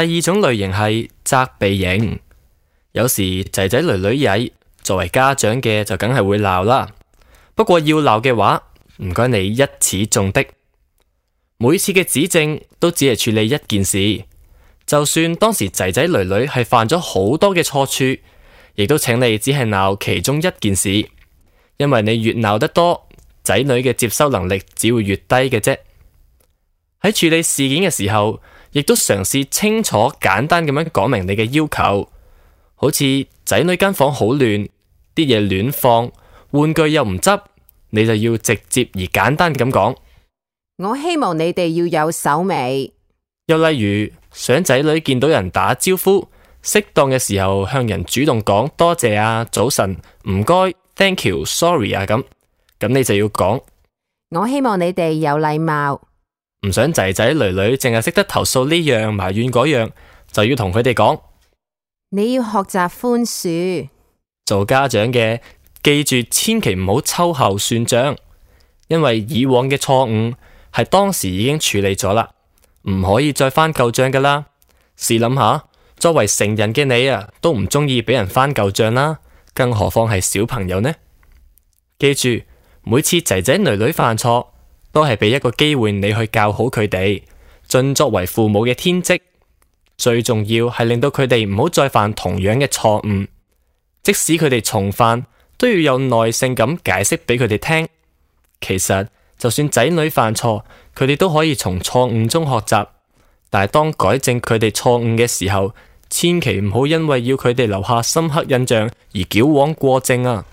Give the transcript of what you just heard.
第二種類型係責備型，有時仔仔女女曳，作為家長嘅就梗係會鬧啦。不過要鬧嘅話，唔該你一次中的，每次嘅指正都只係處理一件事，就算當時仔仔女女係犯咗好多嘅錯處，亦都請你只係鬧其中一件事，因為你越鬧得多，仔女嘅接收能力只會越低嘅啫。喺處理事件嘅時候，亦都嘗試清楚簡單咁樣講明你嘅要求，好似仔女間房好亂，啲嘢亂放，玩具又唔執，你就要直接而簡單咁講。我希望你哋要有手尾。又例如想仔女見到人打招呼，適當嘅時候向人主動講多謝啊、早晨、唔該、thank you、sorry 啊咁你就要講。我希望你哋有禮貌。唔想仔仔女女淨係識得投訴呢樣埋怨嗰樣，就要同佢哋講。你要學習寬恕。做家長嘅記住，千祈唔好秋後算賬，因為以往嘅錯誤係當時已經處理咗啦，唔可以再翻舊賬噶啦。試諗下，作為成人嘅你啊，都唔中意俾人翻舊賬啦，更何況係小朋友呢？記住，每次仔仔女女犯錯，都係俾一個機會你去教好佢哋，盡作為父母嘅天職。最重要係令到佢哋唔好再犯同樣嘅錯誤，即使佢哋重犯，都要有耐性咁解釋俾佢哋聽。其實就算仔女犯錯，佢哋都可以從錯誤中學習，但係當改正佢哋錯誤嘅時候，千祈唔好因為要佢哋留下深刻印象而矯枉過正啊！